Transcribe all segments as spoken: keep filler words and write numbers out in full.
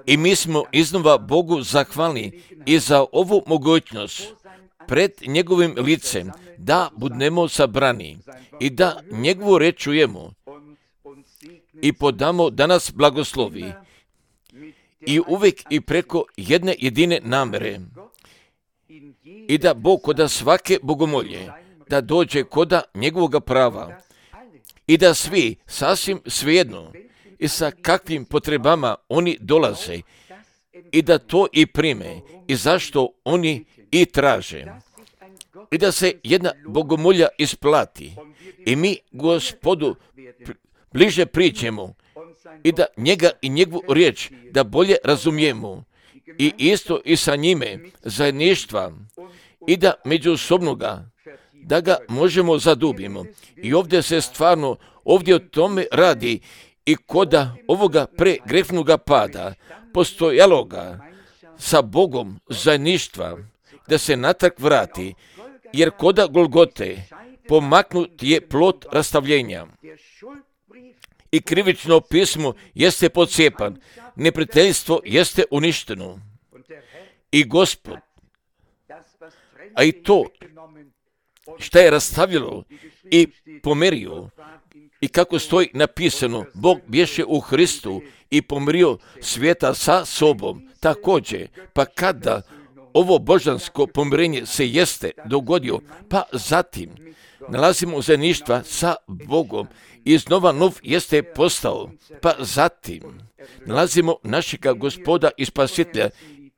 I mi smo iznova Bogu zahvalni i za ovu mogućnost pred njegovim licem da budemo sabrani i da njegovu reč čujemo i podamo da nas blagoslovi i uvijek i preko jedne jedine namere i da Bog koda svake bogomolje da dođe koda njegovog prava i da svi sasvim svejedno i sa kakvim potrebama oni dolaze i da to i prime i zašto oni i traže i da se jedna bogomolja isplati i mi Gospodu bliže priđemo i da njega i njegovu riječ da bolje razumijemo i isto i sa njime zajedništva i da međusobnoga da ga možemo zadubimo. I ovdje se stvarno ovdje o tome radi i koda ovoga pregrešnoga pada postojaloga sa Bogom zajedništva da se natrag vrati, jer koda Golgote pomaknut je plot rastavljenja i krivično pismo jeste podcijepan, neprijateljstvo jeste uništeno i Gospod, a i to šta je rastavljalo i pomerio i kako stoji napisano, Bog bješe u Hristu i pomirio svijeta sa sobom. Također, pa kada ovo božansko pomirenje se jeste dogodio, pa zatim nalazimo zajedništva sa Bogom i iznova nov jeste postao, pa zatim nalazimo našega Gospoda i Spasitelja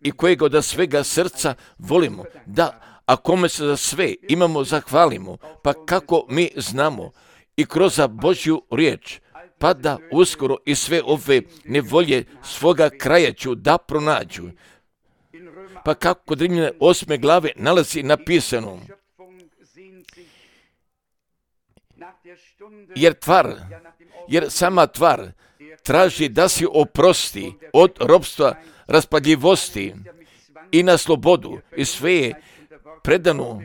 i kojega od svega srca volimo, da a kome se za sve imamo zahvalimo, pa kako mi znamo i kroz Božju riječ, pa da uskoro i sve ove nevolje svoga kraja ću da pronađu. Pa kako kod Rimljana osme glave nalazi napisano, jer tvar, jer sama tvar traži da si oprosti od ropstva raspadljivosti i na slobodu i sve je predano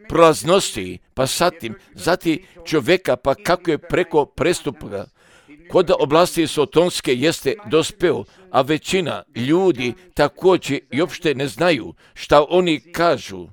prolaznosti, pa zatim, zatim čovjeka, pa kako je preko prestupa kod oblasti sotonske jeste dospeo, a većina ljudi također i uopšte ne znaju šta oni kažu,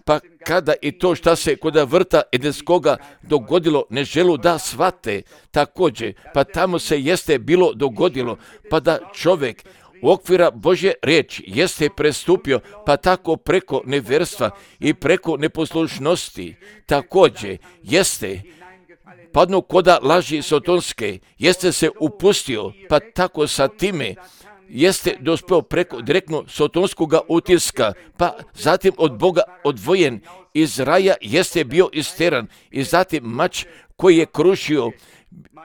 pa kada i to šta se kod vrta Edenskoga dogodilo ne želu da shvate također, pa tamo se jeste bilo dogodilo, pa da čovjek u okvira Božje riječi jeste prestupio, pa tako preko neverstva i preko neposlušnosti također jeste padno koda laži sotonske, jeste se upustio, pa tako sa time jeste dospeo preko direktno sotonskoga utiska, pa zatim od Boga odvojen, iz raja jeste bio isteran i zatim mač koji je krušio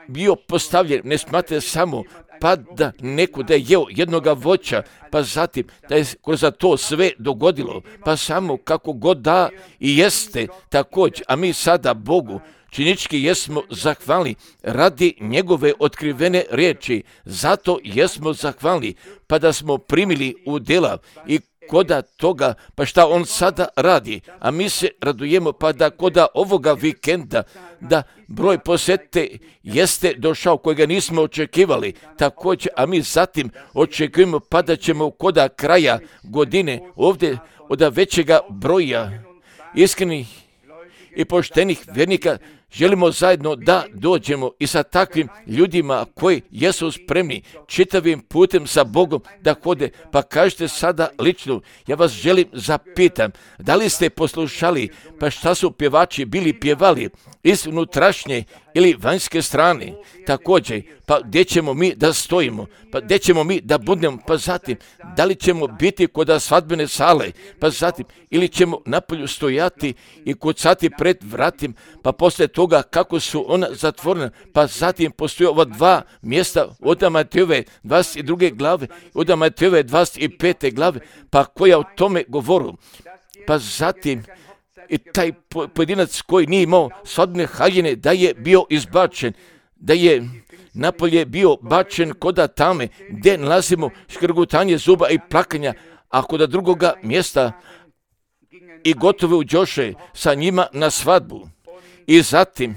bio postavljen, ne smate samo pa da neko da je jeo jednoga voća, pa zatim da je kroz to sve dogodilo, pa samo kako god da i jeste također, a mi sada Bogu činički jesmo zahvalni radi njegove otkrivene riječi, zato jesmo zahvalni, pa da smo primili u djela i koda toga, pa šta on sada radi, a mi se radujemo, pa da koda ovoga vikenda, da broj posete jeste došao kojega nismo očekivali, također, a mi zatim očekujemo, pa da ćemo koda kraja godine ovdje od većega broja iskrenih i poštenih vjernika želimo zajedno da dođemo i sa takvim ljudima koji jesu spremni čitavim putem sa Bogom da hode, pa kažete sada lično, ja vas želim zapitam, da li ste poslušali, pa šta su pjevači bili pjevali iz unutrašnje ili vanjske strane, također, pa gdje ćemo mi da stojimo, pa gdje ćemo mi da budemo, pa zatim, da li ćemo biti kod svadbene sale, pa zatim, ili ćemo napolju stojati i kucati pred vratim, pa poslije toga kako su ona zatvorena, pa zatim postoje ova dva mjesta od Matejove dvadeset druge glave, od Matejove dvadeset pete glave, pa koja o tome govoru, pa zatim i taj pojedinac koji nije imao svadbene haljine da je bio izbačen, da je napolje bio bačen koda tame gdje nalazimo škrgutanje zuba i plakanja, a kod drugoga mjesta i gotovo uđoše sa njima na svadbu. I zatim,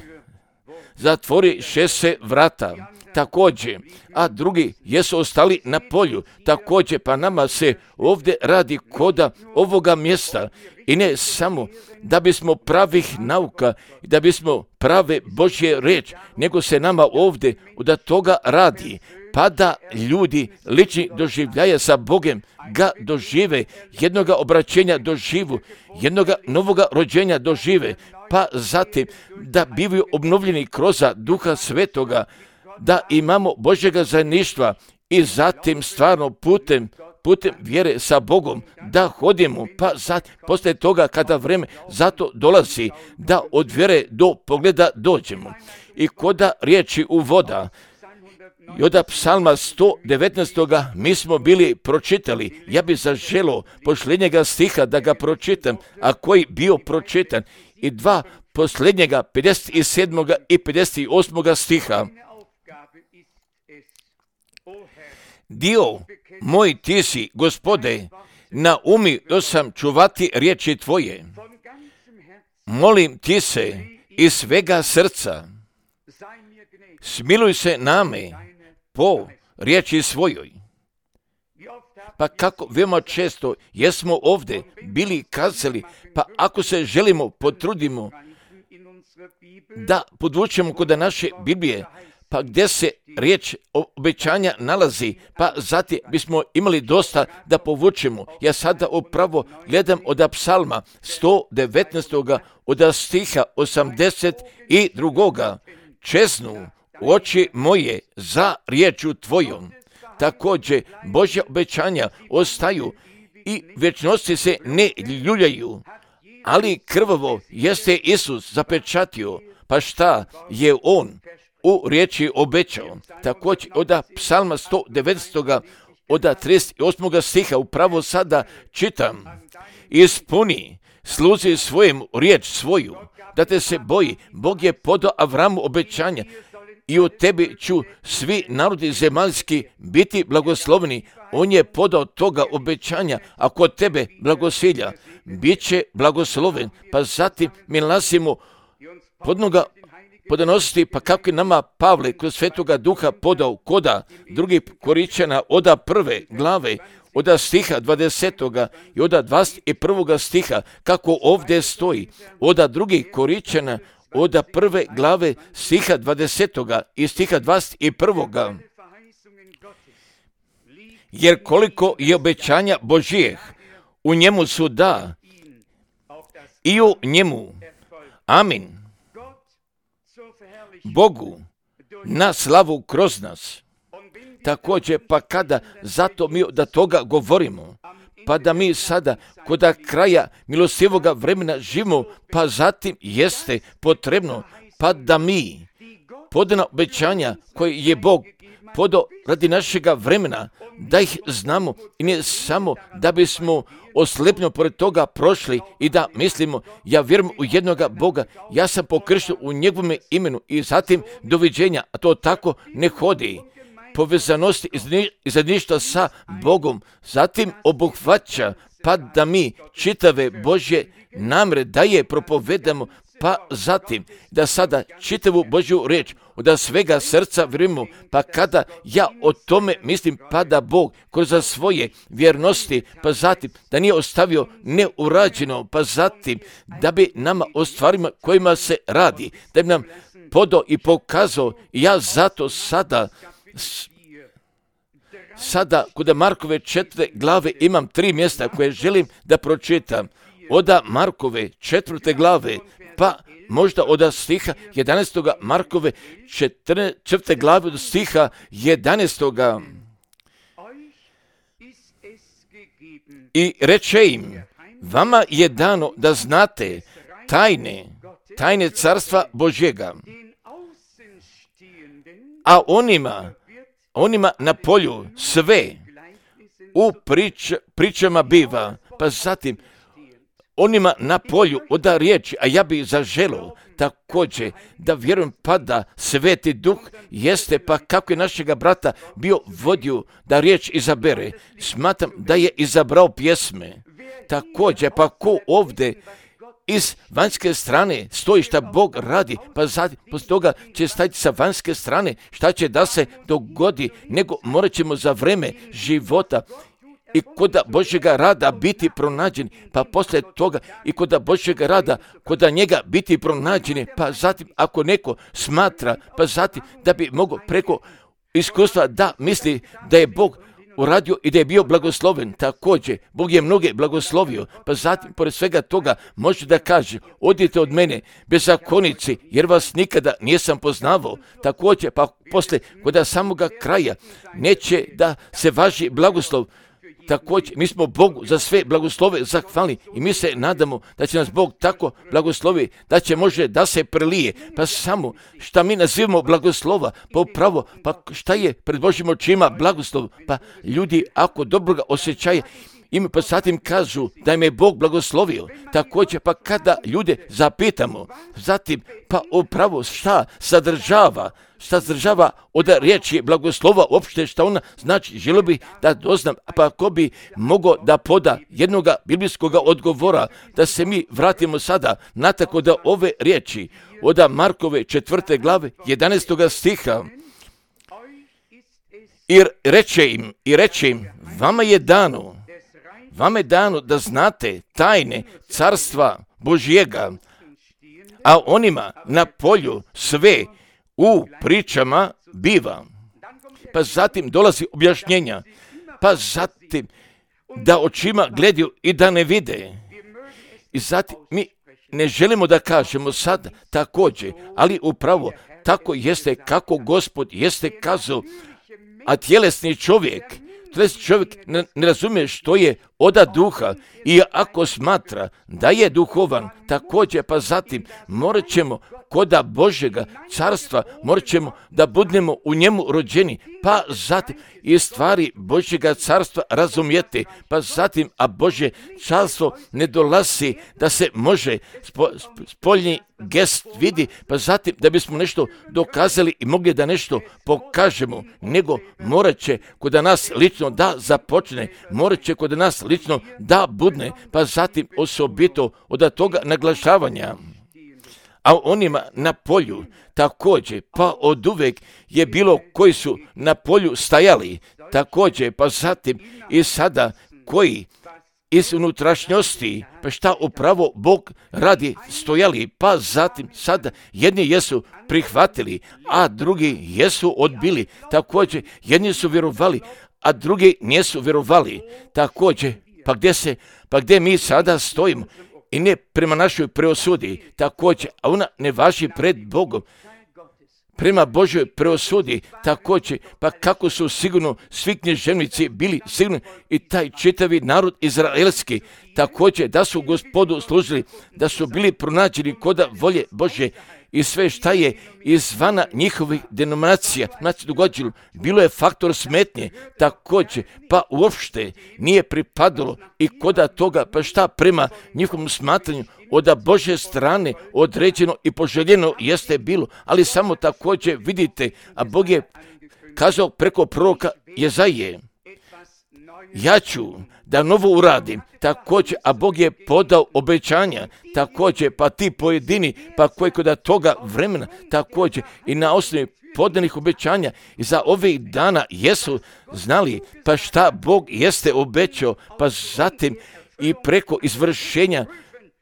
zatvori šest se vrata, također, a drugi jesu ostali na polju, također, pa nama se ovdje radi koda ovoga mjesta i ne samo da bismo pravih nauka, da bismo prave Božje riječ, nego se nama ovdje da toga radi, pa da ljudi lični doživljaja sa Bogem ga dožive, jednoga obraćenja doživu, jednoga novoga rođenja dožive, pa zatim da bivaju obnovljeni kroz Duha Svetoga, da imamo Božjega zajedništva i zatim stvarno putem putem vjere sa Bogom, da hodimo, pa sad, poslije toga kada vreme zato dolazi, da od vjere do pogleda dođemo. I koda riječi u voda, i od psalma sto devetnaest. mi smo bili pročitali, ja bi zaželo posljednjega stiha da ga pročitam, a koji bio pročitan, i dva posljednjega pedeset sedam. i pedeset osam. stiha. Dio moj ti si, Gospode, naumio sam čuvati riječi tvoje. Molim ti se iz svega srca, smiluj se name po riječi svojoj. Pa kako veoma često jesmo ovdje bili kazali, pa ako se želimo, potrudimo da podvučemo kod naše Biblije, pa gdje se riječ obećanja nalazi, pa zatim bismo imali dosta da povučemo. Ja sada upravo gledam od psalma sto devetnaest. od stiha osamdeset dva. Čeznu oči moje za riječu tvojom. Također Božja obećanja ostaju i vječnosti se ne ljuljaju, ali krvavo jeste Isus zapečatio, pa šta je on u riječi obećao. Također od psalma sto devetnaest. od trideset osam. stiha upravo sada čitam: ispuni sluzi svojim riječ svoju, da te se boji. Bog je podao Avramu obećanja: i u tebi ću svi narodi zemaljski biti blagosloveni. On je podao toga obećanja, a kod tebe blagosilja bit će blagosloven. Pa zatim mi nalazimo podnoga podanosti, pa kako je nama Pavle kroz Svetoga Duha podao koda drugi Koričana oda prve glave, oda stiha dvadesetoga i oda dvadeset prvoga stiha, kako ovdje stoji, oda drugi Koričana oda prve glave stiha dvadesetoga i stiha dvadeset prvoga. Jer koliko je obećanja Božijeh, u njemu su da i u njemu amin. Bogu na slavu kroz nas. Također, pa kada zato mi da toga govorimo, pa da mi sada kod kraja milostivoga vremena živimo, pa zatim jeste potrebno, pa da mi podana obećanja koje je Bog podao radi našega vremena, da ih znamo i ne samo da bismo oslepno pored toga prošli i da mislimo, ja vjerujem u jednoga Boga, ja sam pokršten u njegovome imenu i zatim doviđenja, a to tako ne hodi. Povezanosti i zajedništva sa Bogom zatim obuhvaća, pa da mi čitave Božje namjere da je propovedamo, pa zatim da sada čitavu Božju riječ od svega srca vjerujemo, pa kada ja o tome mislim, pa da Bog kroz svoje vjernosti, pa zatim da nije ostavio neurađeno, pa zatim da bi nama o stvarima kojima se radi, da bi nam podao i pokazao. Ja zato sada Sada kod Markove četvrte glave imam tri mjesta koje želim da pročitam. Od Markove četvrte glave, pa možda od stiha jedanaestog. Markove četvrte glave od stiha jedanaestog. I reče im: vama je dano da znate tajne, tajne carstva Božjega, a onima onima na polju sve u prič, pričama biva, pa zatim onima na polju oda riječi, a ja bih zaželio također da vjerujem, pa da Sveti Duh jeste, pa kako je našega brata bio vodio da riječ izabere, smatram da je izabrao pjesme. Također, pa ko ovdje iz vanjske strane stoji šta Bog radi, pa zatim poslije toga će staviti sa vanjske strane šta će da se dogodi, nego morat ćemo za vreme života i kod Božjega rada biti pronađeni, pa poslije toga i kod Božjega rada, kod njega biti pronađeni, pa zatim ako neko smatra, pa zatim da bi mogao preko iskustva da misli da je Bog uradio i da je bio blagosloven. Također, Bog je mnoge blagoslovio, pa zatim, pored svega toga, može da kaže, odite od mene, bezakonici, jer vas nikada nisam poznavao. Također, pa posle, kod samoga kraja, neće da se važi blagoslov. Također, mi smo Bogu za sve blagoslove zahvalni i mi se nadamo da će nas Bog tako blagoslovi, da će može da se prelije. Pa samo šta mi nazivamo blagoslova, pa upravo, pa šta je pred Božjim očima blagoslov, pa ljudi ako dobro ga osjećaju, im pa zatim kažu da im je Bog blagoslovio. Također, pa kada ljude zapitamo, zatim, pa upravo šta sadržava, šta sadržava od riječi blagoslova, uopšte šta ona znači, želio bi da doznam, pa ako bi mogao da poda jednoga biblijskog odgovora, da se mi vratimo sada na tako da ove riječi od Markove četvrte glave, jedanaestoga stiha, i reče im, i reče im, vama je dano, Vama je dano da znate tajne carstva Božjega, a onima na polju sve u pričama biva. Pa zatim dolazi objašnjenja, pa zatim da očima gledaju i da ne vide. I zatim mi ne želimo da kažemo sad također, ali upravo tako jeste kako Gospod jeste kazao, a tjelesni čovjek, tjelesni čovjek ne, ne razumije što je oda duha i ako smatra da je duhovan, također pa zatim morat ćemo koda Božjega carstva, morat ćemo da budemo u njemu rođeni, pa zatim i stvari Božjega carstva razumijete, pa zatim, a Božje carstvo ne dolazi da se može spo, spoljni gest vidi, pa zatim da bismo nešto dokazali i mogli da nešto pokažemo, nego morat će kod nas lično da započne, morat će kod nas lično da budne, pa zatim osobito od toga naglašavanja. A onima na polju također, pa od uvek je bilo koji su na polju stajali, također, pa zatim i sada koji iz unutrašnjosti, pa šta upravo Bog radi stojali, pa zatim sada jedni jesu prihvatili, a drugi jesu odbili, također jedni su vjerovali, a drugi nisu vjerovali, također, pa gdje se, pa gdje mi sada stojimo, i ne prema našoj preosudi, također, a ona ne važi pred Bogom, prema Božoj preosudi, također, pa kako su sigurno svi knježevnici bili sigurni i taj čitavi narod izraelski, također da su Gospodu služili, da su bili pronađeni koda volje Božje i sve šta je izvana njihovih denominacija, znači događalo, bilo je faktor smetnje, također, pa uopšte nije pripadalo i koda toga, pa šta prema njihovom smatranju od Božje strane određeno i poželjeno jeste bilo, ali samo također vidite, a Bog je kazao preko proroka Jezaije, ja ću da novo uradim, također, a Bog je podao obećanja, također, pa ti pojedini, pa koji kod toga vremena, također, i na osnovi podanih obećanja i za ovih dana jesu znali, pa šta Bog jeste obećao, pa zatim i preko izvršenja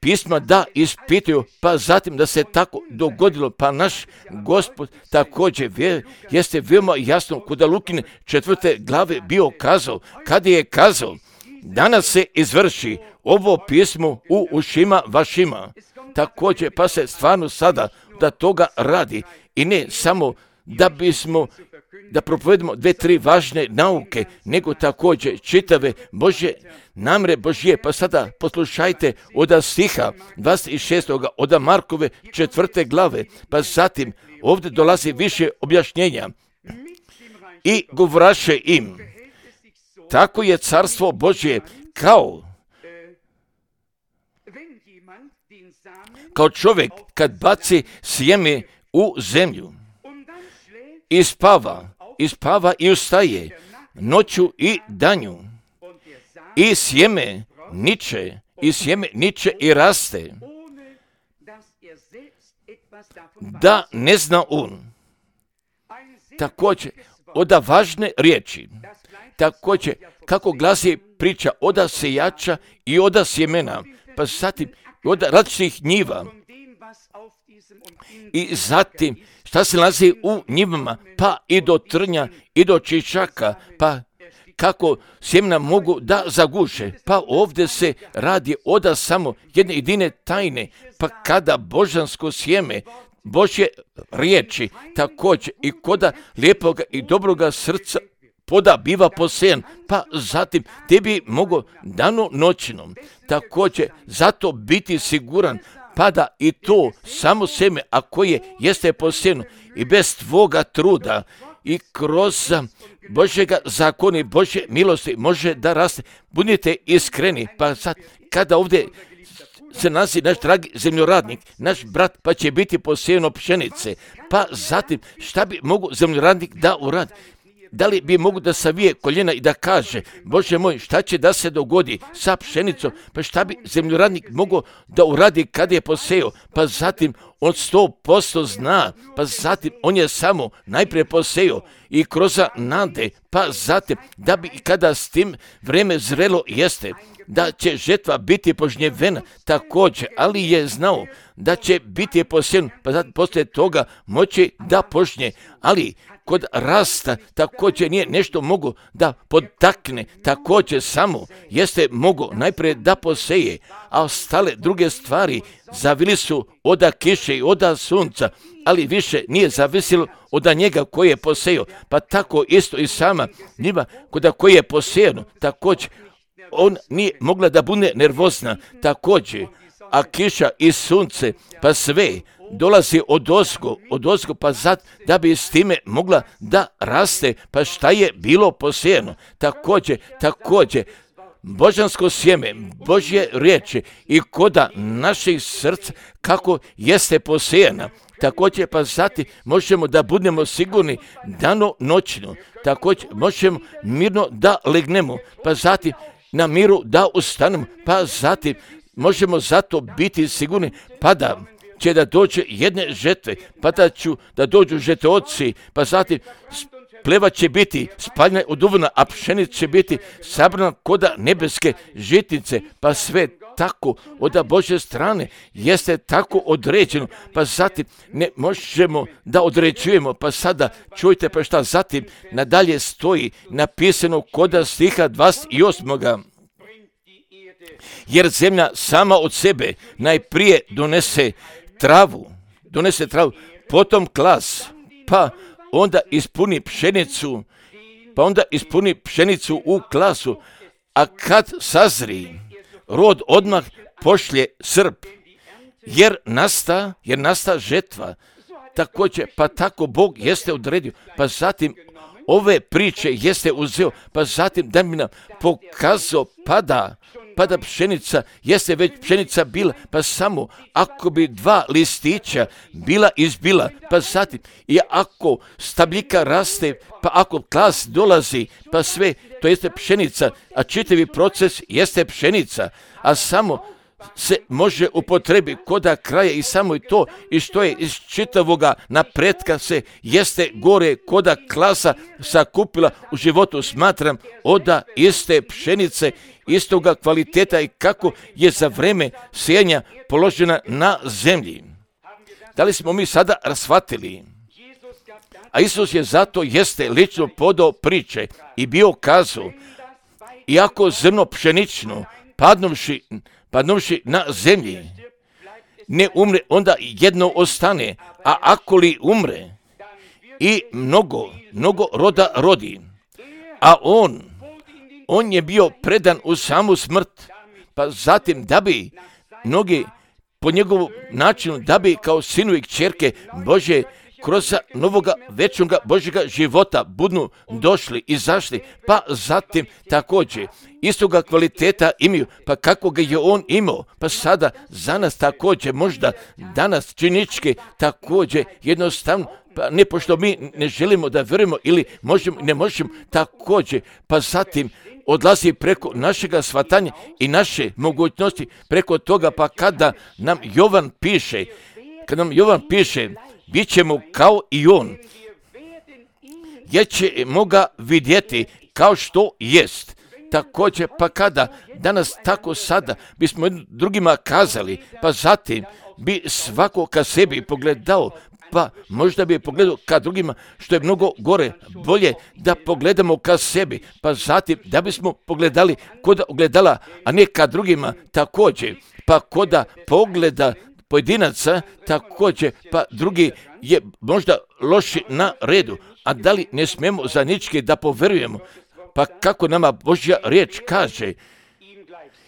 pisma da ispituju, pa zatim da se tako dogodilo, pa naš Gospod također vje, jeste veoma jasno kod Lukine četvrte glave bio kazao, kad je kazao, danas se izvrši ovo pismo u ušima vašima. Također pa se stvarno sada da toga radi i ne samo da bismo da propovedemo dve, tri važne nauke, nego također čitave Božje namre Božje. Pa sada poslušajte od stiha dvadeset šestog od Markove četvrte glave, pa zatim ovdje dolazi više objašnjenja. I govoraše im, tako je carstvo Božje kao kao čovjek kad baci sjeme u zemlju i spava, i spava i ustaje noću i danju i sjeme niče, i sjeme niče i raste da ne zna on. Također, oda važne riječi, također, kako glasi priča oda sejača i oda sjemena, pa zatim oda različitih njiva. I zatim, šta se nalazi u njivama, pa i do trnja, i do čičaka, pa kako sjemena mogu da zaguše. Pa ovdje se radi oda samo jedne jedine tajne, pa kada božansko sjeme, Božje riječi, također i koda lijepoga i dobroga srca poda biva posejan, pa zatim tebi mogu dano noćnom, također zato biti siguran, pada i to samo seme, a koje jeste posejano i bez tvoga truda i kroz Božjega zakona i Božje milosti može da raste. Budite iskreni, pa sad kada ovdje se nalazi naš dragi zemljoradnik, naš brat, pa će biti posejano pšenice, pa zatim šta bi mogu zemljoradnik da uradi? Da li bi mogu da savije koljena i da kaže, Bože moj, šta će da se dogodi sa pšenicom, pa šta bi zemljoradnik mogao da uradi kada je posejao, pa zatim on sto posto zna, pa zatim on je samo najprije posejao i kroz nade, pa zatim da bi kada s tim vreme zrelo jeste, da će žetva biti požnjevena također, ali je znao da će biti posejano, pa zatim poslije toga moći da požnje, ali kod rasta također nije nešto mogu da potakne, također samo jeste mogu najprije da poseje, a ostale druge stvari zavili su oda kiše i oda sunca, ali više nije zavisilo od njega koji je posejao, pa tako isto i sama njiva koda koji je posejano, također on nije mogla da bude nervozna, također, a kiša i sunce, pa sve dolazi od ozgo, od ozgo, pa zad da bi s time mogla da raste, pa šta je bilo posejano. Također, također, božansko sjeme, Božje riječi i koda naših srca kako jeste posejana. Također, pa zatim možemo da budemo sigurni dano noćno, također možemo mirno da legnemo, pa zatim na miru da ustanemo, pa zatim možemo zato biti sigurni, pa da će da dođe jedne žetve, pa da ću da dođu žetveoci, pa zatim pleva će biti spaljena od uvna, a pšenica će biti sabrana koda nebeske žitnice, pa sve tako od Božje strane jeste tako određeno, pa zatim ne možemo da određujemo, pa sada čujte pa šta zatim nadalje stoji napisano koda stiha dvadeset osam. Jer zemlja sama od sebe najprije donese travu, donese travu, potom klas, pa onda ispuni pšenicu, pa onda ispuni pšenicu u klasu, a kad sazri, rod odmah pošlje srp, jer nasta, jer nasta žetva. Također, pa tako Bog jeste odredio, pa zatim ove priče jeste uzeo, pa zatim da mi nam pokazao pada, pada pšenica, jeste već pšenica bila, pa samo ako bi dva listića bila izbila, pa zatim i ako stabljika raste, pa ako klas dolazi, pa sve, to jeste pšenica, a čitavi proces jeste pšenica, a samo se može upotrebi koda kraja i samo i to i što je iz čitavoga napretka se jeste gore koda klasa sakupila u životu, smatram oda iste pšenice, istoga kvaliteta i kako je za vreme sijanja položena na zemlji. Da li smo mi sada rasvatili? A Isus je zato jeste lično podao priče i bio kazao, iako zrno pšenično padnuvši padnuvši na zemlji, ne umre, onda jedno ostane, a ako li umre, i mnogo, mnogo roda rodi, a on, on je bio predan u samu smrt, pa zatim da bi mnogi po njegovom načinu, da bi kao sinu i kćerke Bože kroz novoga večnoga Božjega života budnu došli, izašli, pa zatim također istoga kvaliteta imaju, pa kako ga je on imao, pa sada za nas također, možda danas činičke također jednostavno, pa ne pošto mi ne želimo da vjerujemo ili možemo, ne možemo također, pa zatim odlazi preko našega shvatanja i naše mogućnosti preko toga, pa kada nam Jovan piše, kad nam Jovan piše, bit ćemo kao i on, jer ćemo ga vidjeti kao što jest. Također, pa kada danas tako sada bismo drugima kazali, pa zatim bi svako ka sebi pogledao, pa možda bi pogledao ka drugima, što je mnogo gore, bolje da pogledamo ka sebi, pa zatim da bismo pogledali kod ogledala, a ne ka drugima također, pa koda pogleda pojedinaca također, pa drugi je možda loši na redu, a da li ne smijemo za ničke da poverujemo, pa kako nama Božja riječ kaže,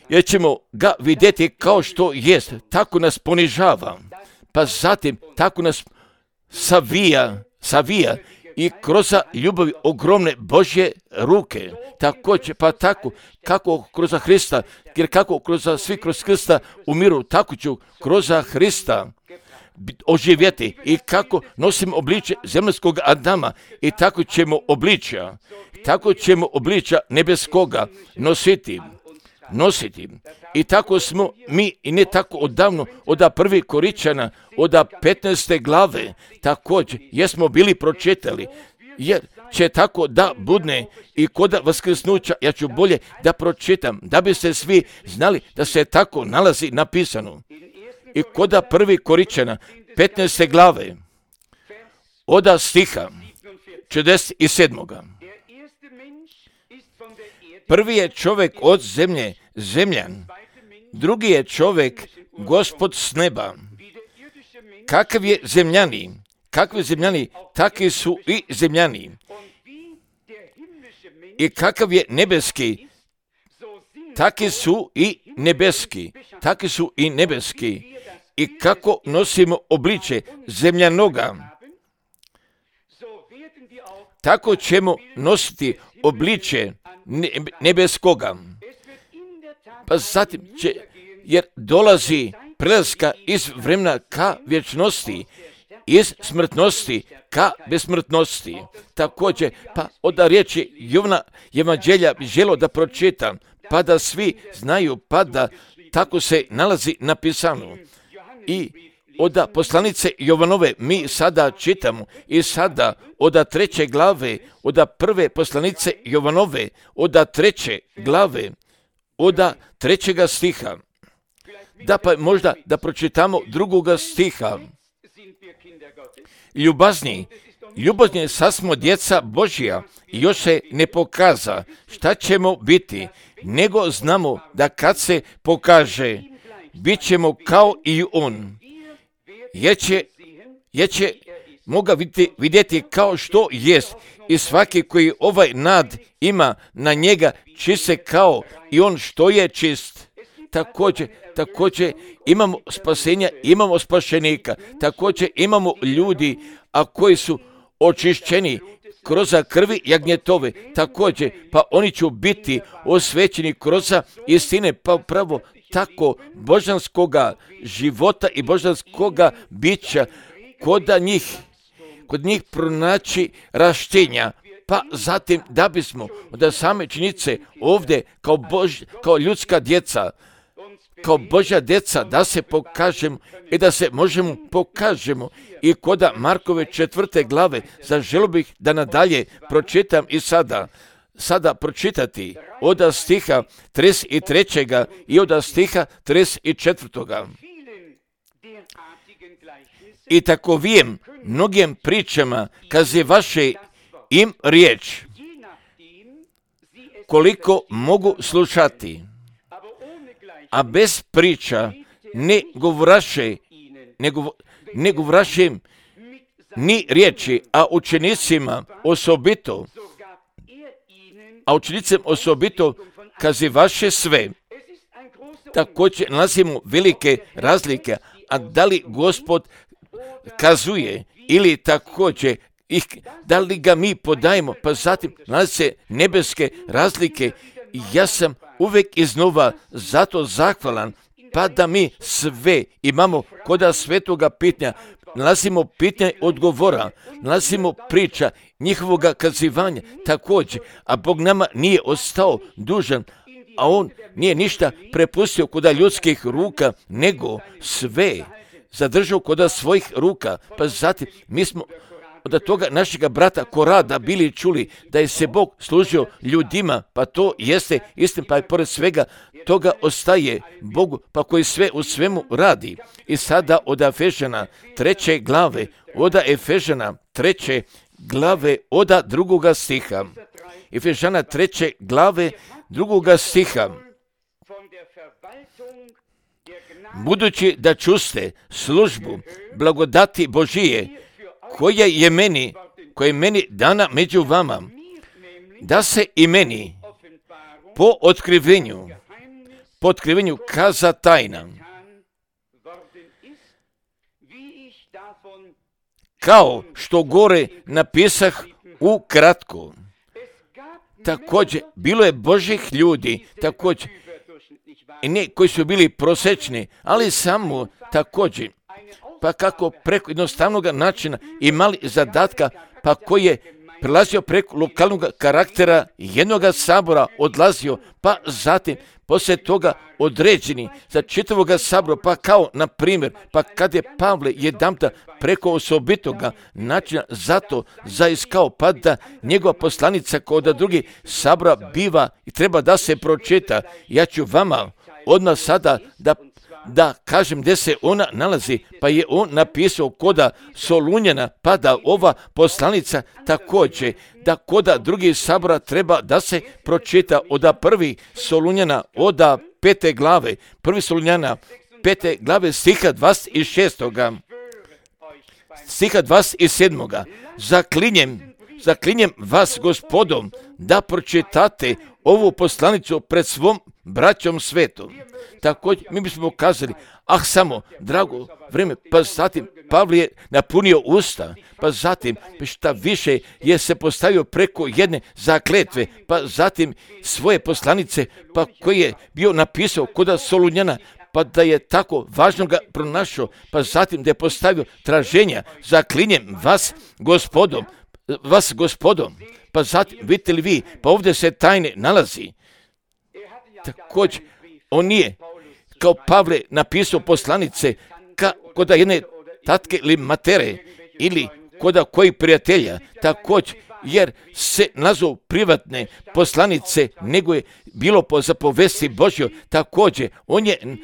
jer ćemo ga vidjeti kao što jest, tako nas ponižava, pa zatim tako nas savija, savija i kroz ljubavi ogromne Božje ruke, također, pa tako kako kroz Hrista, jer kako kroz svi kroz Hrista umiru, tako ću kroz Hrista oživjeti i kako nosim obliče zemaljskog Adama i tako ćemo obličja, tako ćemo obličja nebeskoga nositi, nositi. I tako smo mi i ne tako odavno, od prvi Koričana, od petnaeste glave, također, jesmo bili pročitali, jer će tako da budne i kod vaskrsnuća, ja ću bolje da pročitam, da biste svi znali da se tako nalazi napisano. I kod prvi Koričana, petnaeste glave, od stiha četrdeset sedam. Prvi je čovjek od zemlje, zemljan, drugi je čovjek Gospod s neba. Kakav je zemljani, kakvi zemljani, takvi su i zemljani. I kakav je nebeski, takvi su i nebeski, takvi su i nebeski. I kako nosimo obliče zemljanoga, tako ćemo nositi obliče nebeskoga. Pa zatim će, jer dolazi prelaska iz vremena ka vječnosti, iz smrtnosti ka besmrtnosti. Također, pa od riječi Jovana Evanđelja bi želio da pročitam, pa da svi znaju, pa da tako se nalazi napisano. I od poslanice Jovanove mi sada čitamo i sada od treće glave, od prve poslanice Jovanove, od treće glave, od trećega stiha. Da pa možda da pročitamo drugoga stiha. Ljubazni, ljubazni sasmo djeca Božja, još se ne pokaza šta ćemo biti, nego znamo da kad se pokaže, bit ćemo kao i on. Jer će, jer će moga vidjeti, vidjeti kao što jest i svaki koji ovaj nad ima na njega čiste kao i on što je čist. Također, također imamo spasenja, imamo spašenika, također imamo ljudi, a koji su očišćeni kroz krvi jagnjetove, također, pa oni će biti osvećeni kroz istine, pa pravo tako božanskoga života i božanskoga bića kod njih, kod njih pronaći raštenja, pa zatim da bismo od same činjenice ovdje kao, Bož, kao ljudska djeca, kao Božja djeca da se pokažemo i da se možemo pokažemo i kod Markove četvrte glave, zaželio bih da nadalje pročitam i sada, sada pročitati od stiha trideset tri. i od stiha trideset četiri. I takovijem mnogim pričama kaze vaše im riječ, koliko mogu slušati, a bez priča ne govoraše, ne, gov, ne govoraše ni riječi, a učenicima osobito, a učenicima osobito kaze vaše sve. Također nalazimo velike razlike, a da li Gospod kazuje ili također ih, da li ga mi podajemo, pa zatim nalazi se nebeske razlike. Ja sam uvijek iznova zato zahvalan, pa da mi sve imamo kod svetoga pitanja, nalazimo pitanje odgovora, nalazimo priča njihovoga kazivanja također, a Bog nama nije ostao dužan, a on nije ništa prepustio kod ljudskih ruka, nego sve, zadržao kod svojih ruka. Pa zatim mi smo od toga našega brata Korada bili čuli da je se Bog služio ljudima, pa to jeste istina, pa i pored svega toga ostaje Bogu, pa koji sve u svemu radi. I sada od Efežana treće glave, od Efežana treće glave, od drugoga stiha. Efežana treće glave, drugoga stiha. Budući da čuste službu blagodati Božije, koja je meni, koja je meni dana među vama, da se i meni po otkrivenju, po otkrivenju kaza tajna, kao što gore napisah ukratko. Također, bilo je Božih ljudi, također, i ne koji su bili prosječni, ali samo također, pa kako preko jednostavnog načina imali zadatka, pa koji je prelazio preko lokalnog karaktera jednog sabora, odlazio, pa zatim poslije toga određeni za čitavog sabora, pa kao na primjer, pa kad je Pavle jedanputa preko osobitoga načina zato zaiskao, pa da njegova poslanica kod drugih sabora biva i treba da se pročita. Ja ću vama odmah sada da da kažem gdje se ona nalazi, pa je on napisao koda Solunjana, pa da ova poslanica također, da koda drugih sabora treba da se pročita od prvi Solunjana, od pete glave, prvi Solunjana, pete glave, stiha dvadeset šest. Stiha dvadeset sedam. Zaklinjem, zaklinjem vas Gospodom da pročitate ovu poslanicu pred svom braćom svetom. Također, mi bismo kazali, ah samo, drago vrijeme, pa zatim Pavle je napunio usta, pa zatim šta više je se postavio preko jedne zakletve, pa zatim svoje poslanice, pa koji je bio napisao kod Solunjana, pa da je tako važno ga pronašao, pa zatim da je postavio traženja, zaklinjem vas Gospodom, vas Gospodom, pa zatim, vidite li vi, pa ovdje se tajne nalazi. Također, on nije kao Pavle napisao poslanice ka, koda jedne tatke ili matere ili koda koji prijatelja, također, jer se nazvao privatne poslanice, nego je bilo po zapovesti Božjoj. Također, on je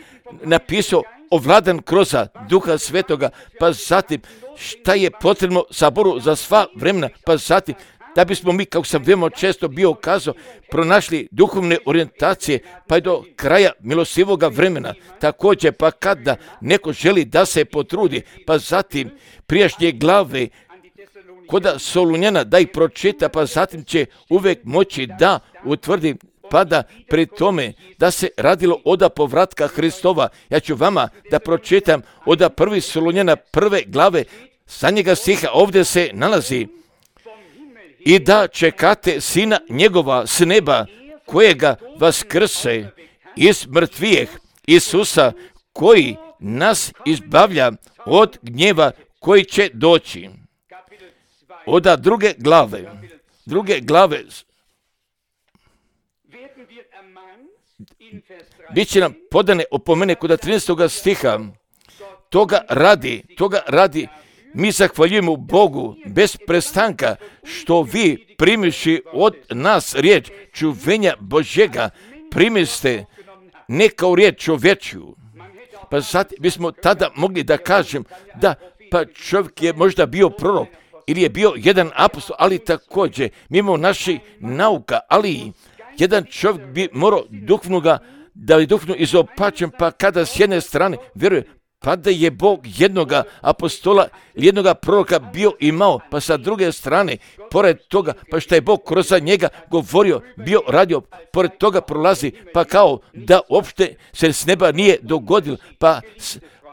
napisao ovladan kroz Duha Svetoga, pa zatim šta je potrebno saboru za sva vremena, pa zatim da bismo mi, kako sam veoma često bio kazao, pronašli duhovne orijentacije, pa i do kraja milostivoga vremena. Također, pa kada neko želi da se potrudi, pa zatim prijašnje glave koda Solunjana da ih pročita, pa zatim će uvijek moći da utvrdi, pa da pri tome da se radilo od povratka Hristova. Ja ću vama da pročitam od prvi Solunjana prve glave, sa njega stiha ovdje se nalazi: i da čekate sina njegova s neba, kojega vaskrse iz mrtvijeh, Isusa, koji nas izbavlja od gnjeva koji će doći. Od druge glave, druge glave, bit će nam podane opomene kod trinaestog stiha. Toga radi, toga radi, mi zahvaljujemo Bogu bez prestanka što vi primiši od nas riječ čuvenja Božjega, primiste ne kao riječ čovječju. Pa sad bismo tada mogli da kažem da pa čovjek je možda bio prorok ili je bio jedan apostol, ali također mimo naših nauka, ali jedan čovjek bi morao duhovnoga, da je duhovno izopačen, pa kada s jedne strane vjeruje, pa da je Bog jednoga apostola, jednoga proroka bio imao, pa sa druge strane, pored toga, pa što je Bog kroz njega govorio, bio radio, pored toga prolazi, pa kao da uopšte se s neba nije dogodilo, pa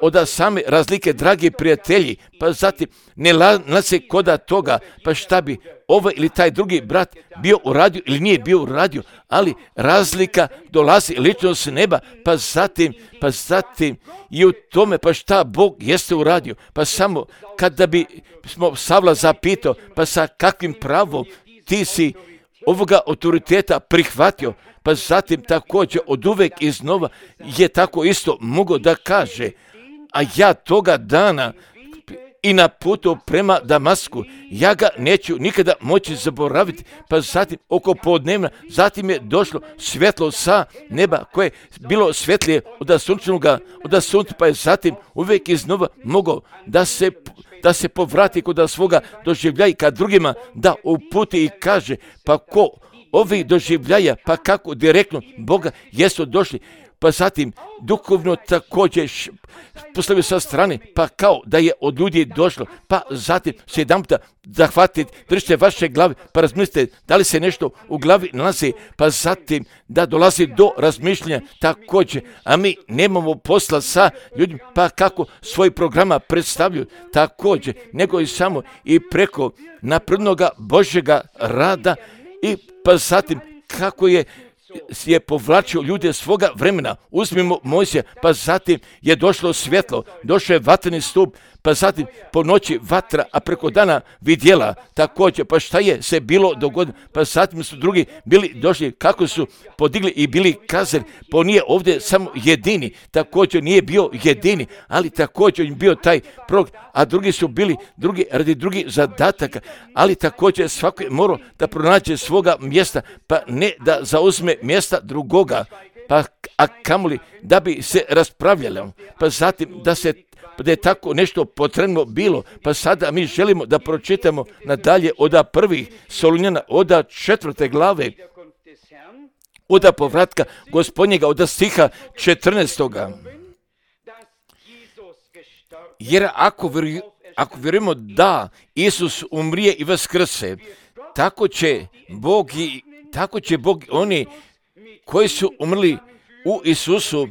od same razlike, dragi prijatelji, pa zatim ne nalazi koda toga, pa šta bi ovaj ili taj drugi brat bio uradio ili nije bio uradio, ali razlika dolazi lično s neba, pa zatim, pa zatim i u tome, pa šta Bog jeste uradio, pa samo kada bi smo Savla zapitao, pa sa kakvim pravom ti si ovoga autoriteta prihvatio, pa zatim također od uvek iznova je tako isto mogao da kaže, a ja toga dana i na putu prema Damasku, ja ga neću nikada moći zaboraviti. Pa zatim oko podnevna, zatim je došlo svjetlo sa neba koje je bilo svjetlije od sunčanoga, od sunca, pa je zatim uvijek iznova mogao da se, da se povrati kod svoga doživljaja kad drugima da uputi i kaže, pa ko ovi doživljaja, pa kako direktno Boga jesu došli. Pa zatim duhovno također postavio sa strane, pa kao da je od ljudi došlo, pa zatim se jedan puta zahvatite, držite vaše glave, pa razmislite da li se nešto u glavi nalazi, pa zatim da dolazi do razmišljanja također, a mi nemamo posla sa ljudima, pa kako svoj programa predstavljaju također, nego i samo i preko naprednoga Božjega rada i pa zatim kako je je povlačio ljude svoga vremena. Uzmimo Mojsija, pa zatim je došlo svjetlo, došao je vatreni stup, pa zatim po noći vatra, a preko dana vidjela također, pa šta je se bilo dogodilo, pa zatim su drugi bili došli, kako su podigli i bili kazali, pa nije ovdje samo jedini, također nije bio jedini, ali također je bio taj prog, a drugi su bili drugi radi drugih zadataka, ali također svako je morao da pronađe svoga mjesta, pa ne da zauzme mjesta drugoga, pa a kamoli da bi se raspravljalo, pa zatim da se da je tako nešto potrebno bilo, pa sada mi želimo da pročitamo nadalje od prvih Solunjana, od četvrte glave, od povratka Gospodnjega, od stiha četrnaestoga. Jer ako, vjeruj, ako vjerujemo da Isus umrije i vaskrse, tako će Bog i tako će Bog oni koji su umrli u Isusu,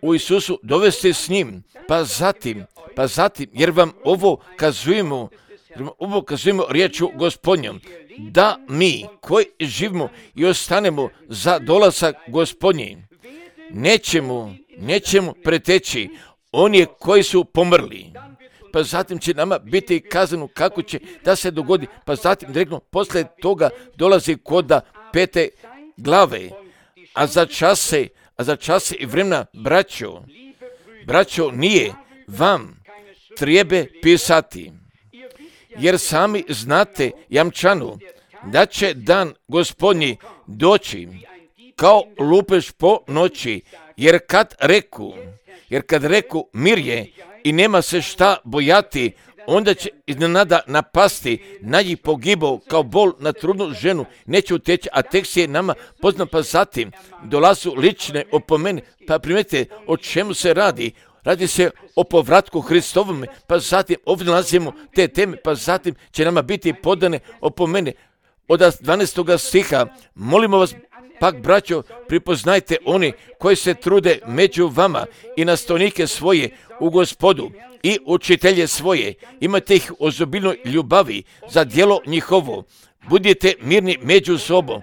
u Isusu dovesti s njim, pa zatim, pa zatim, jer vam ovo kazujemo, ovo kazujemo riječu Gospodnjom, da mi koji živimo i ostanemo za dolazak Gospodnji, nećemo, nećemo preteći oni koji su pomrli. Pa zatim će nama biti kazano kako će da se dogodi, pa zatim direktno posle toga dolazi koda pete glave, a za čase, a za čase i vremena, braćo, braćo, nije vam treba pisati, jer sami znate jamčanu da će dan Gospodnji doći kao lupež po noći, jer kad reku, jer kad reku mir je i nema se šta bojati, onda će iznenada napasti na njih pogibao kao bol na trudnu ženu, neće uteći, a tekst je nama poznat, pa zatim dolazu lične opomene, pa primetite o čemu se radi. Radi se o povratku Hristovom, pa zatim ovdje nalazimo te teme, pa zatim će nama biti podane opomene. Od dvanaestoga stiha, molimo vas, pak braćo, pripoznajte oni koji se trude među vama i nastavnike svoje u Gospodu i učitelje svoje, imate ih u ozobilnoj ljubavi za djelo njihovo, budite mirni među sobom.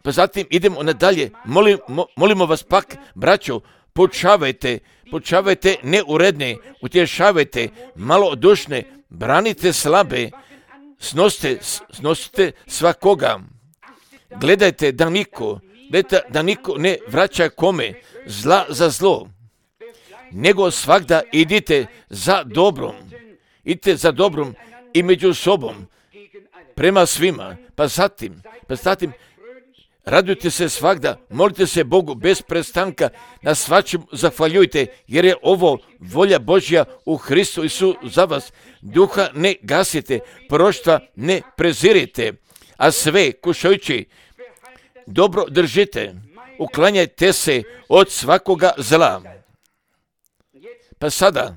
Pa zatim idemo nadalje, Molim, mo, molimo vas pak, braćo, poučavajte, poučavajte neuredne, utješavajte malodušne, branite slabe, snosite, snosite svakoga. Gledajte da niko, gledajte da niko ne vraća kome zla za zlo, nego svakda idite za dobrom, idite za dobrom i među sobom, prema svima, pa zatim, pa zatim, radujte se svakda, molite se Bogu bez prestanka, na svačem zahvaljujte, jer je ovo volja Božja u Hristu Isu za vas. Duha ne gasite, proroštva ne prezirite, a sve kušajući dobro držite, uklanjajte se od svakoga zla. Pa sada,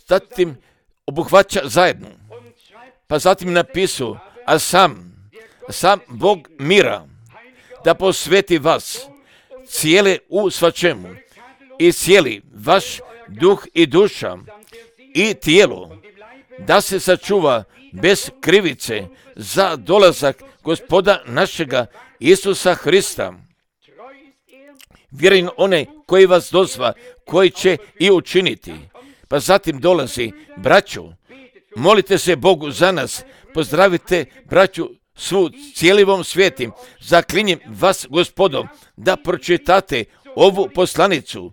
zatim obuhvaća zajedno, pa zatim napisu, a sam, sam Bog mira, da posveti vas cijele u svačemu i cijeli vaš duh i duša i tijelo, da se sačuva bez krivice za dolazak Gospoda našega Isusa Hrista. Vjerujem onaj koji vas dozva, koji će i učiniti. Pa zatim dolazi, braćo, molite se Bogu za nas, pozdravite braću svu cijelivom svijetim, zaklinjem vas Gospodom da pročitate ovu poslanicu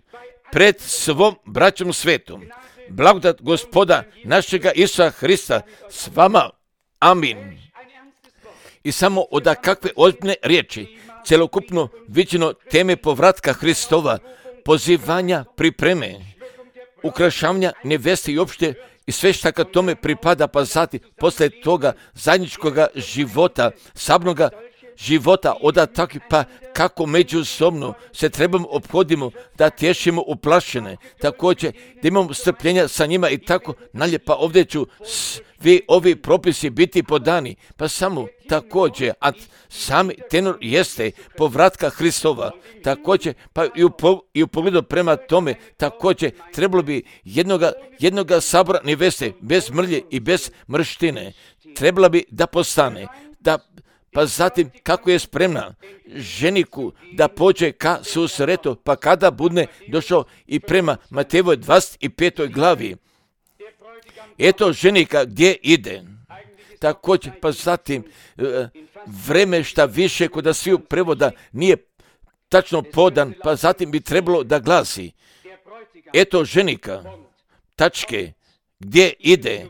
pred svom braćom svetom. Blagodat Gospoda našega Isusa Hrista s vama. Amin. I samo od kakve ozbiljne riječi, celokupno viđeno teme povratka Hristova, pozivanja, pripreme, ukrašavanja neveste i opšte i sve šta kad tome pripada, pa zatim posle toga zajedničkoga života, sabnoga života, oda tako pa kako međusobno se trebamo ophodimo, da tješimo uplašene, također da imamo strpljenja sa njima i tako nalje, pa ovdje ću svi ovi propisi biti podani, pa samo također, a sami tenor jeste povratka Hristova, također, pa i u, po, i u pogledu prema tome, također trebalo bi jednoga, jednoga sabora neveste, bez mrlje i bez mrštine, trebala bi da postane, da pa zatim kako je spremna ženiku da pođe ka susretu, pa kada bude došao i prema Matejevoj dvadeset petoj glavi. Eto ženika gdje ide. Također, pa zatim vreme šta više kod sviju prevoda nije tačno podan, pa zatim bi trebalo da glasi. Eto ženika, tačke, gdje ide.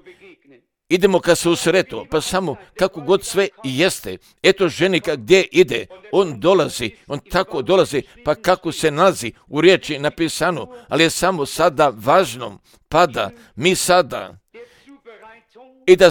Idemo ka susretu, pa samo kako god sve i jeste. Eto ženika gdje ide, on dolazi, on tako dolazi, pa kako se nalazi u riječi napisano, ali je samo sada važno, pada, mi sada, i da,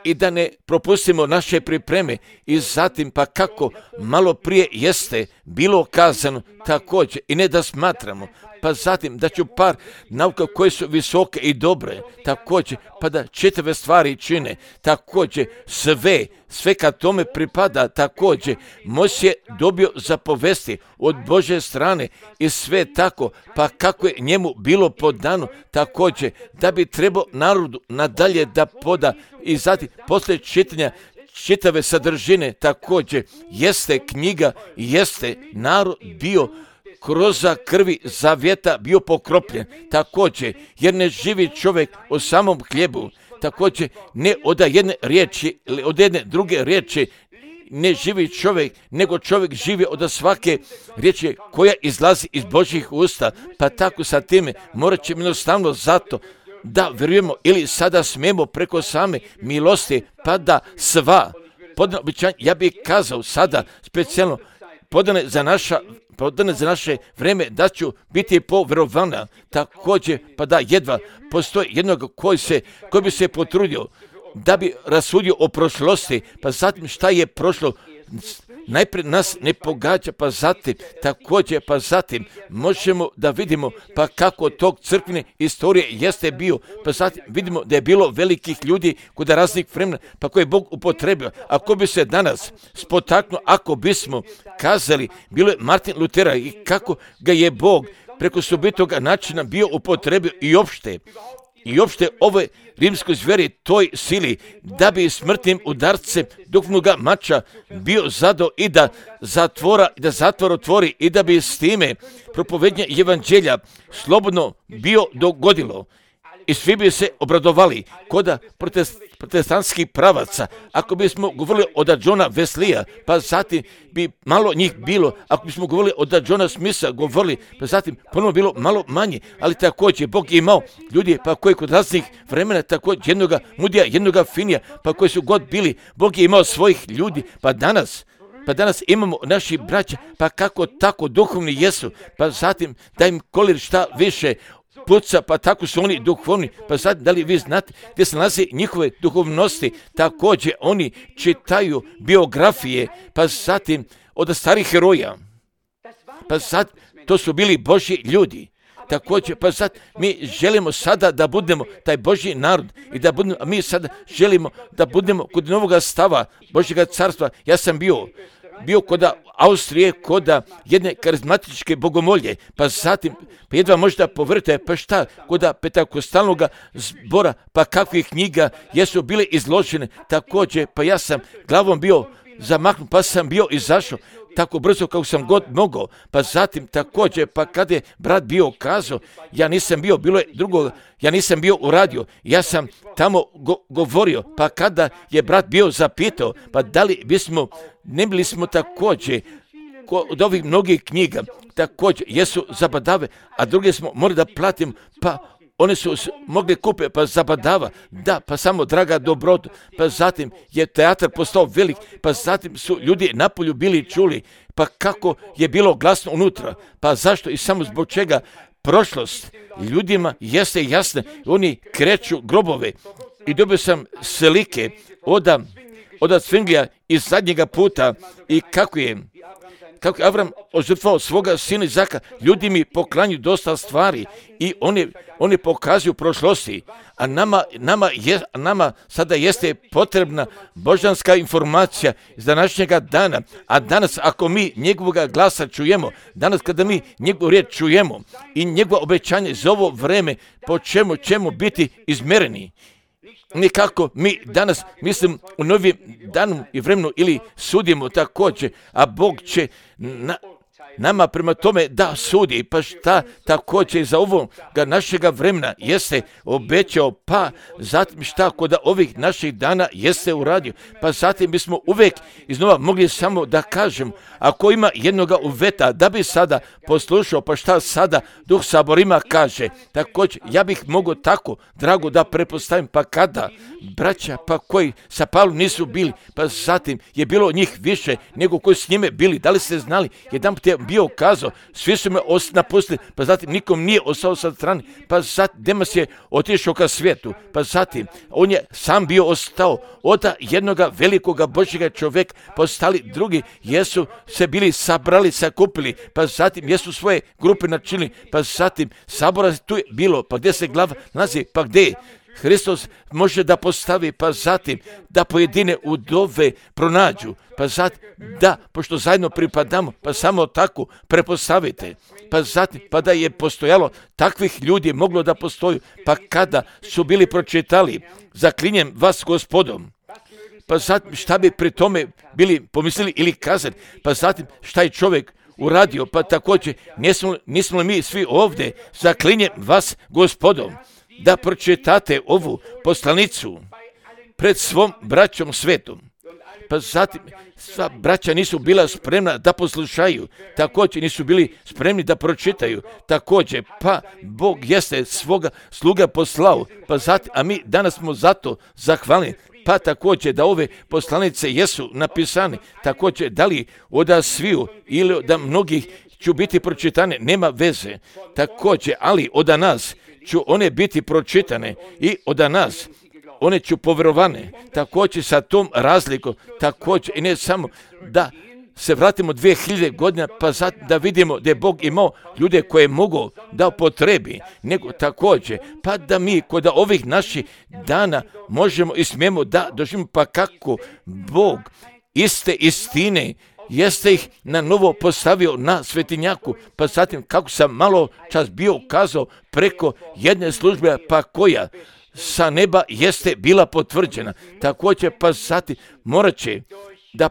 i da ne propustimo naše pripreme i zatim pa kako malo prije jeste bilo kazano također i ne da smatramo, pa zatim da ću par nauka koje su visoke i dobre, također, pa da čitave stvari čine, također sve, sve kad tome pripada, također, Mojsije je dobio zapovesti od Božje strane i sve tako, pa kako je njemu bilo podano, također, da bi trebao narodu nadalje da poda i zatim, poslije čitanja čitave sadržine, također, jeste knjiga, jeste narod bio kroz krvi zavjeta bio pokropljen, također, jer ne živi čovjek o samom hljebu, također, ne od jedne riječi, od jedne druge riječi, ne živi čovjek, nego čovjek živi od svake riječi koja izlazi iz Božjih usta, pa tako sa time morat ćemo jednostavno zato da vjerujemo ili sada smijemo preko same milosti, pa da sva podana obećanja, ja bih kazao sada specijalno podane za naša podane za naše vreme, da ću biti povjerovana, također, pa da jedva postoji jednog koji, se, koji bi se potrudio da bi rasudio o prošlosti, pa zatim šta je prošlo, najprije nas ne pogađa, pa zatim, također, pa zatim možemo da vidimo pa kako tog crkvene istorije jeste bio, pa zatim vidimo da je bilo velikih ljudi kod raznih vremena, pa koje je Bog upotrebio. Ako bi se danas spotaknuo, ako bismo kazali, bilo je Martin Lutera i kako ga je Bog preko sobitoga načina bio upotrebio i opšte, i opšte ove rimskoj zveri toj sili, da bi smrtnim udarcem duhovnoga mača bio zado i da zatvora, da zatvor otvori i da bi s time propovednje evanđelja slobodno bio dogodilo. I svi bi se obradovali koda protest, protestantskih pravaca. Ako bismo govorili od Johna Weslija, pa zatim bi malo njih bilo. Ako bismo govorili od Johna Smitha, govorili, pa zatim ponovno bilo malo manje. Ali također Bog je imao ljudi pa koji kod raznih vremena, također jednoga mudija, jednoga finija, pa koji su god bili. Bog je imao svojih ljudi, pa danas Pa danas imamo naši braća, pa kako tako duhovni jesu, pa zatim da im kolir šta više puca, pa tako su oni duhovni, pa sad da li vi znate gdje se nalazi njihove duhovnosti, također oni čitaju biografije, pa zatim od starih heroja, pa sad to su bili Božji ljudi. Također, pa sad mi želimo sada da budemo taj Božji narod i da budemo, a mi sada želimo da budemo kod novoga stava Božjega carstva. Ja sam bio, bio kod Austrije, kod jedne karizmatičke bogomolje, pa zatim, pa jedva možda povrte, pa šta, kod Pentakostalnog zbora, pa kakvih knjiga jesu bile izložene, također, pa ja sam glavom bio zamahnut, pa sam bio izašao, tako brzo kako sam god mogao, pa zatim također, pa kada je brat bio kazao, ja nisam bio, bilo je drugo, ja nisam bio u radiju, ja sam tamo go, govorio, pa kada je brat bio zapitao, pa da li bismo, ne bili smo također od ovih mnogih knjiga također jesu zabadave, a druge smo morali da platimo, pa one su mogli kupiti, pa zabadava, da, pa samo draga dobrotu, pa zatim je teatar postao velik, pa zatim su ljudi napolju bili čuli, pa kako je bilo glasno unutra, pa zašto i samo zbog čega prošlost ljudima jeste jasna, oni kreću grobove i dobio sam slike od od Svinglija iz zadnjega puta i kako je kako je Avram ožrtvovao svoga sina Izaka, ljudi mi poklanju dosta stvari i oni, oni pokazuju prošlosti, a nama, nama, je, nama sada jeste potrebna božanska informacija iz današnjega dana, a danas ako mi njegovoga glasa čujemo, danas kada mi njegovu riječ čujemo i njegovo obećanje za ovo vreme, po čemu ćemo biti izmjereni. Nikako mi danas, mislim, u novim danu i vremenu ili sudimo također, a Bog će na, nama prema tome da sudi, pa šta također za ovoga našega vremena jeste obećao, pa zatim šta kod ovih naših dana jeste uradio, pa zatim bismo uvijek iznova mogli samo da kažem, ako ima jednoga uveta da bi sada poslušao, pa šta sada Duh Saborima kaže, također ja bih mogao tako, drago, da prepostavim, pa kada braća, pa koji sa Pavlom nisu bili, pa zatim je bilo njih više nego koji s njime bili, da li ste znali, jedan put je bio kazao, svi su me napustili, pa zatim nikom nije ostao sa strane, pa zatim Demas je otišao ka svijetu, pa zatim on je sam bio ostao, od jednoga velikoga Božjega čovjeka postali drugi, jesu se bili sabrali, sakupili, pa zatim jesu svoje grupe načinili, pa zatim sabora tu je bilo, pa gdje se glava nalazi, pa gdje je Hristos može da postavi, pa zatim da pojedine udove pronađu, pa zatim da, pošto zajedno pripadamo, pa samo tako prepostavite, pa zatim pa da je postojalo takvih ljudi moglo da postoju, pa kada su bili pročitali, zaklinjem vas Gospodom, pa zatim šta bi pri tome bili pomislili ili kazali, pa zatim šta je čovjek uradio, pa također nismo, nismo li mi svi ovdje, zaklinjem vas Gospodom, da pročitate ovu poslanicu pred svom braćom svetom. Pa zatim sva braća nisu bila spremna da poslušaju, također nisu bili spremni da pročitaju, također pa Bog jeste svoga sluga poslao, pa zatim, a mi danas smo zato zahvalni, pa također da ove poslanice jesu napisane, također da li od sviju ili da mnogih ću biti pročitane, nema veze, također, ali od nas ću one biti pročitane i od nas one ću povjerovane, također sa tom razlikom, također i ne samo da se vratimo dvije hiljade godina, pa sad da vidimo da je Bog imao ljude koje mogu da upotrebi, nego također, pa da mi kod ovih naših dana možemo i smijemo da doživimo, pa kako Bog iste istine jeste ih na novo postavio na svetinjaku, pa zatim kako sam malo čas bio kazao preko jedne službe, pa koja sa neba jeste bila potvrđena. Također pa zatim morat će da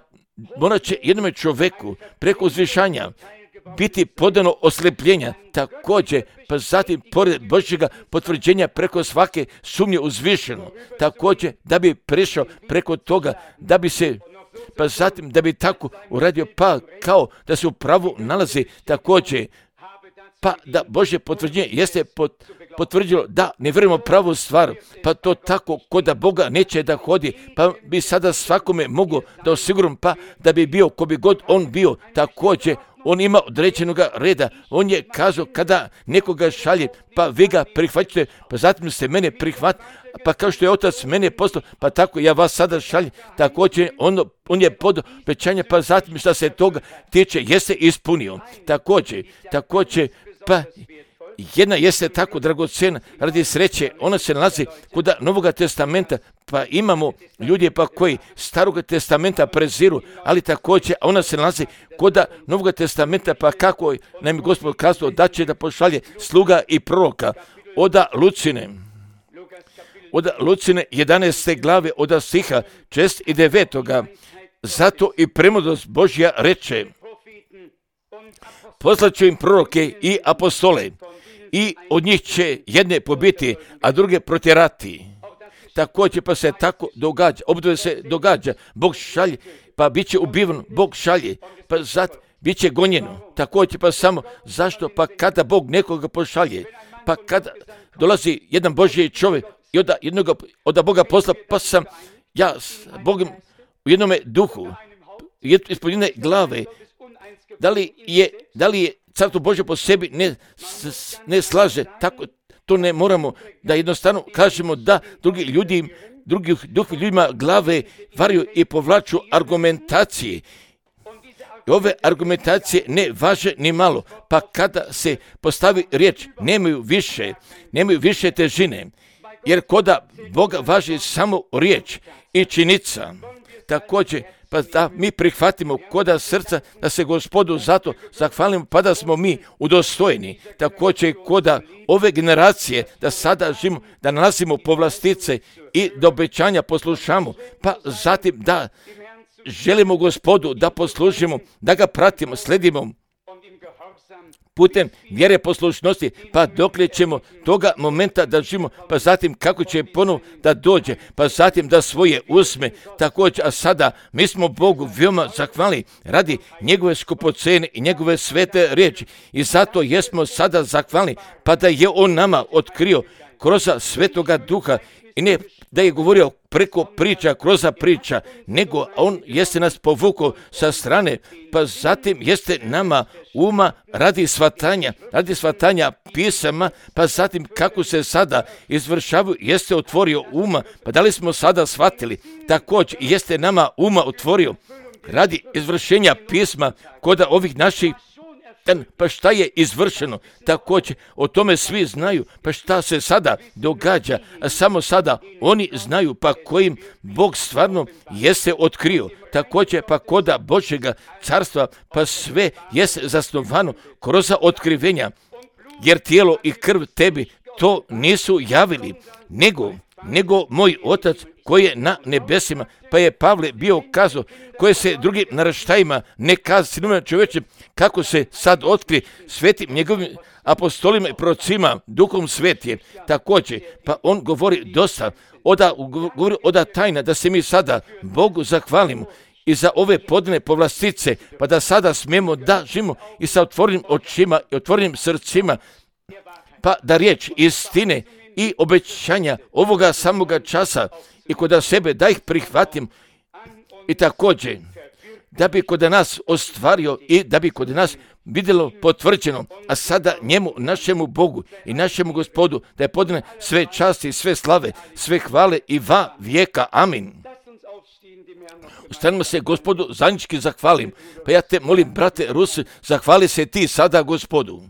morat će jednome čovjeku preko uzvišanja biti podano oslepljenja, također pa zatim pored Božjega potvrđenja preko svake sumnje uzvišeno, također da bi prešao preko toga, da bi se pa zatim da bi tako uradio, pa kao da se u pravu nalazi, također pa da Božje potvrđenje jeste pot, potvrdilo da ne vjerujemo pravu stvar, pa to tako kod da Boga neće da hodi, pa bi sada svakome mogu da osiguram, pa da bi bio ko bi god on bio, također on ima određenog reda, on je kazao kada nekoga šalje, pa vi ga prihvaćate, pa zatim ste mene prihvatili, pa kao što je Otac mene poslao, pa tako ja vas sada šaljem, također on, on je pod obećanje, pa zatim što se toga tiče jeste ispunio, također, također, pa jedna jeste tako dragocena radi sreće, ona se nalazi kod Novoga testamenta, pa imamo ljudi pa koji Staroga testamenta preziru, ali također ona se nalazi kod Novoga testamenta, pa kako nam je Gospod kazao da će da pošalje sluga i proroka od Lucine. Od Lucine jedanaeste glave od stiha šest i devetoga. Zato i premudrost Božja reče, poslaću im proroke i apostole, i od njih će jedne pobiti, a druge protjerati. također pa se tako događa, obdove se događa, Bog šalje, pa bit će ubiven, Bog šalje, pa zato bit će gonjeno, također pa samo, zašto? Pa kada Bog nekoga pošalje, pa kada dolazi jedan Božji čovjek i od jednoga, od Boga posla, pa sam ja s Bogom u jednome duhu, ispod jedne glave, da li je, da li je Carstvo Božje po sebi ne, s, ne slaže, tako to ne moramo da jednostavno kažemo da drugi ljudi, drugi duhi ljudima glave varaju i povlaču argumentacije. I ove argumentacije ne važe ni malo, pa kada se postavi riječ, nemaju više, nemaju više težine, jer koda Boga važi samo riječ i činjenica. Također, pa da mi prihvatimo koda srca, da se Gospodu zato zahvalimo, pa da smo mi udostojni. Također, koda ove generacije, da sada živimo, da nalazimo povlastice i do obećanja poslušamo, pa zatim da želimo Gospodu da poslušimo, da ga pratimo, sledimo putem vjere poslušnosti, pa dokle ćemo toga momenta da živimo, pa zatim kako će ponovo da dođe, pa zatim da svoje usme također, a sada mi smo Bogu veoma zahvalni radi njegove skupocene i njegove svete riječi i zato jesmo sada zahvalni, pa da je on nama otkrio kroz Svetoga Duha i ne da je govorio preko priča, kroz priča, nego on jeste nas povukao sa strane, pa zatim jeste nama uma radi shvatanja, radi shvatanja pisama, pa zatim kako se sada izvršavaju, jeste otvorio uma, pa da li smo sada shvatili, također jeste nama uma otvorio radi izvršenja pisma kod ovih naših. Pa šta je izvršeno, također o tome svi znaju, pa šta se sada događa, a samo sada oni znaju pa kojim Bog stvarno jeste otkrio, također pa koda Božjega carstva, pa sve jeste zasnovano kroz otkrivenja, jer tijelo i krv tebi to nisu javili, nego, nego moj Otac koji je na nebesima, pa je Pavle bio kazao, koje se drugim naraštajima ne kaza sinovima čovječem, kako se sad otkri svetim njegovim apostolima i prorocima, duhom svetije, također, pa on govori dosta, oda, govori oda tajna, da se mi sada Bogu zahvalimo i za ove podne povlastice, pa da sada smijemo da živimo i sa otvorenim očima i otvorenim srcima, pa da riječ istine i obećanja ovoga samoga časa i kod sebe da ih prihvatim i također da bi kod nas ostvario i da bi kod nas vidjelo potvrđeno, a sada njemu, našemu Bogu i našemu Gospodu, da je podane sve časti, sve slave, sve hvale i va vijeka. Amin. Ustanimo se Gospodu, zajednički zahvalim. Pa ja te molim, brate Rusi, zahvali se ti sada Gospodu.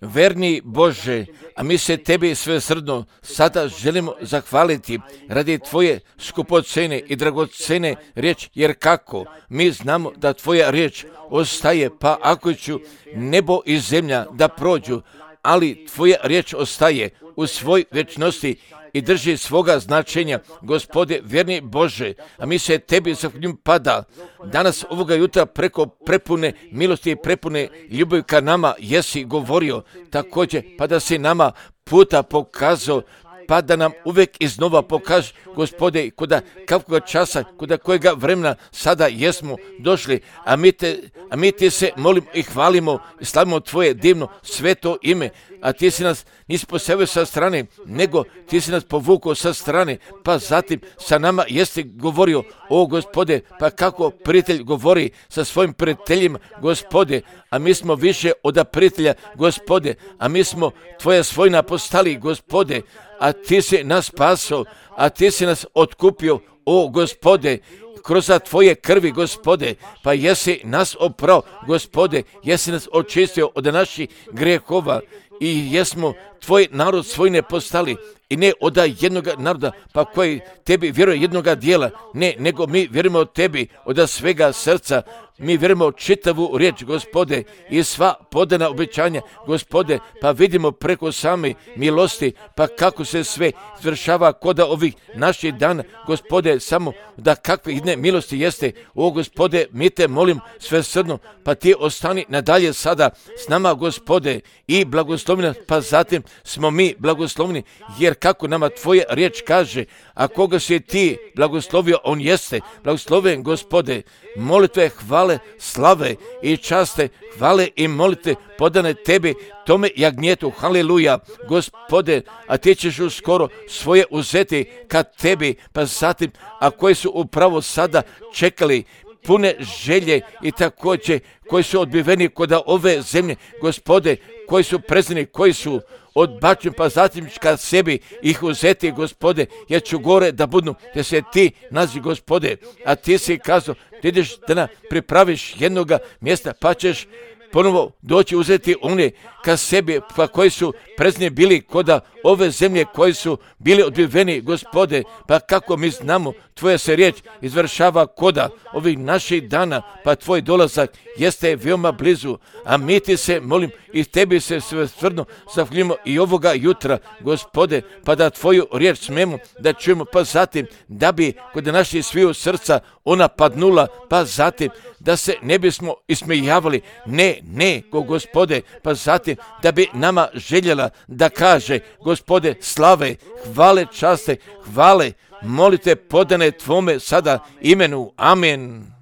Verni Bože, a mi se tebi svesrdno sada želimo zahvaliti radi tvoje skupocene i dragocene riječi, jer kako mi znamo da tvoja riječ ostaje, pa ako ću nebo i zemlja da prođu, ali tvoja riječ ostaje u svoj večnosti i drži svoga značenja. Gospode, verni Bože, a mi se tebi zahvaljujemo pada danas ovoga jutra preko prepune milosti i prepune ljubavi ka nama jesi govorio, također pa da si nama puta pokazao, pa da nam uvijek iznova pokaže, Gospode, kuda kakvoga časa, kuda kojega vremena sada jesmo došli, a mi, te, a mi ti se molimo i hvalimo i slavimo tvoje divno sveto ime, a ti si nas nisi postavio sa strane, nego ti si nas povukao sa strane, pa zatim sa nama jeste govorio, o Gospode, pa kako prijatelj govori sa svojim prijateljima, Gospode, a mi smo više od prijatelja, Gospode, a mi smo tvoja svojina postali, Gospode, a ti si nas spasao, a ti si nas otkupio, o Gospode, kroz tvoje krvi, Gospode, pa jesi nas oprao, Gospode, jesi nas očistio od naših grehova i jesmo tvoj narod svojine postali i ne od jednoga naroda, pa koji tebi vjeruje jednoga dijela, ne, nego mi vjerujemo od tebi od svega srca, mi vjerujemo čitavu riječ, Gospode, i sva podana obećanja, Gospode, pa vidimo preko same milosti, pa kako se sve izvršava kod ovih naših dana, Gospode, samo da kakve jedne milosti jeste. O Gospode, mi te molim svesrdno, pa ti ostani nadalje sada s nama, Gospode, i blagoslovni nas, pa zatim smo mi blagoslovni, jer kako nama tvoja riječ kaže, a koga si ti blagoslovio, on jeste blagosloven, Gospode. Molitve, hvale, slave i časte, hvale i molitve podane tebi, tome jagnjetu, haleluja, Gospode, a ti ćeš uskoro svoje uzeti kad tebi, pa zatim, a koji su upravo sada čekali pune želje i također koji su odbiveni kod ove zemlje, Gospode, koji su prezreni, koji su odbačeni, pa zatim kad sebi ih uzeti, Gospode, jer ću gore da budu, te se ti nazi, Gospode, a ti si kazao, ti ideš da nam pripraviš jednoga mjesta, pa ćeš ponovo doći uzeti one ka sebi, pa koji su prezreni bili kod ove zemlje, koji su bili odbiveni, Gospode, pa kako mi znamo, tvoja se riječ izvršava koda ovih naših dana, pa tvoj dolazak jeste veoma blizu, a mi ti se molim i tebi se svesrdno zahvaljujemo i ovoga jutra, Gospode, pa da tvoju riječ smemo da čujemo, pa zatim da bi kod naših sviju srca ona padnula, pa zatim da se ne bismo ismijavali, ne, ne, ko Gospode, pa zatim da bi nama željela da kaže, Gospode, slave, hvale, časte, hvale, molite podane tvome sada imenu. Amen.